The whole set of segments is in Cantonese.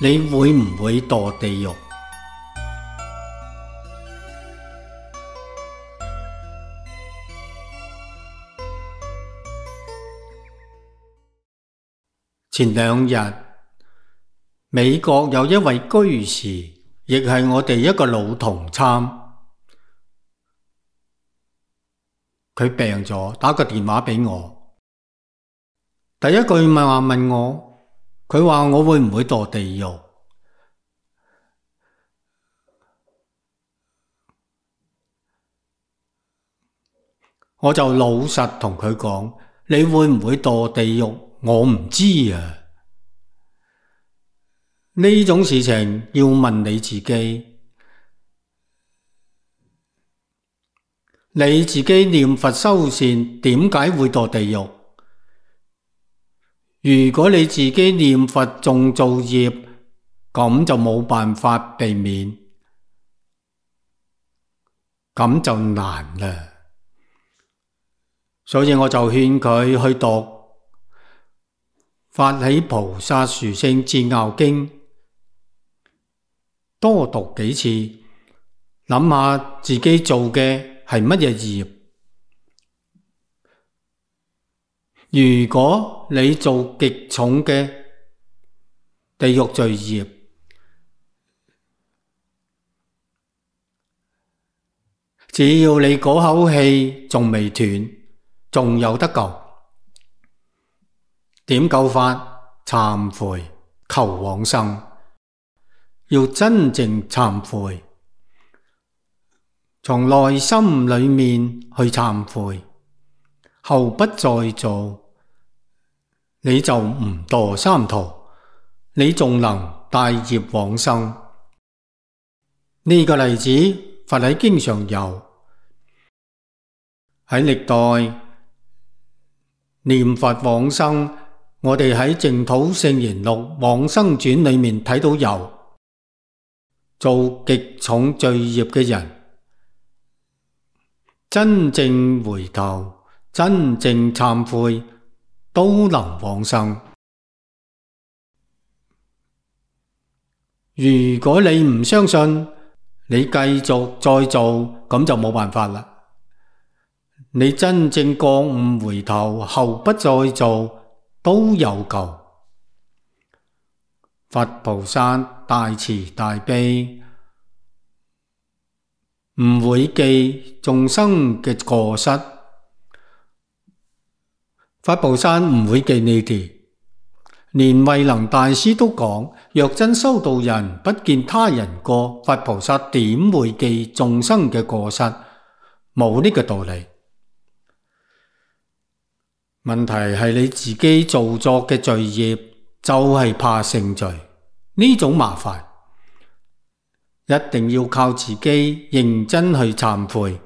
你會唔會墮地獄？前兩日，美國有一位居士，亦係我哋一個老同參，佢病咗，打個電話俾我，第一句問我，佢話我會唔會墮地獄？我就老實同佢講，你會唔會墮地獄？我唔知啊。呢種事情要問你自己，你自己念佛修善，點解會墮地獄？如果你自己念佛仲造業，咁就冇辦法避免，咁就難啦。所以我就勸佢去讀《法喜菩薩殊勝煎熬經》，多讀幾次，諗下自己做嘅係乜嘢業。如果你做極重嘅地獄罪業，只要你嗰口氣仲未斷，仲有得救。點救法？懺悔，求往生。要真正懺悔，從內心裏面去懺悔，後不再做，你就唔墮三途，你仲能帶業往生。呢個例子佛喺經上有，喺歷代念佛往生，我哋喺淨土聖言錄往生傳裏面睇到有做極重罪業嘅人，真正回頭，真正懺悔，都能往生。如果你唔相信，你繼續再做，咁就冇辦法啦。你真正覺悟回頭，後不再做，都有救。佛菩薩大慈大悲，唔會記眾生嘅過失。佛菩薩唔會記你哋。連慧能大師都講，若真修道人不見他人過，佛菩薩點會記眾生嘅過失？冇呢個道理。問題係你自己做作嘅罪業，就係怕成罪，呢種麻煩一定要靠自己認真去懺悔。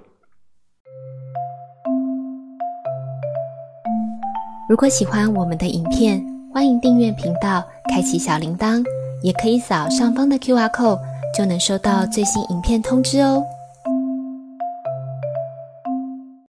如果喜歡我們的影片，歡迎訂閱頻道，開啟小鈴鐺，也可以掃上方的QR code，就能收到最新影片通知哦。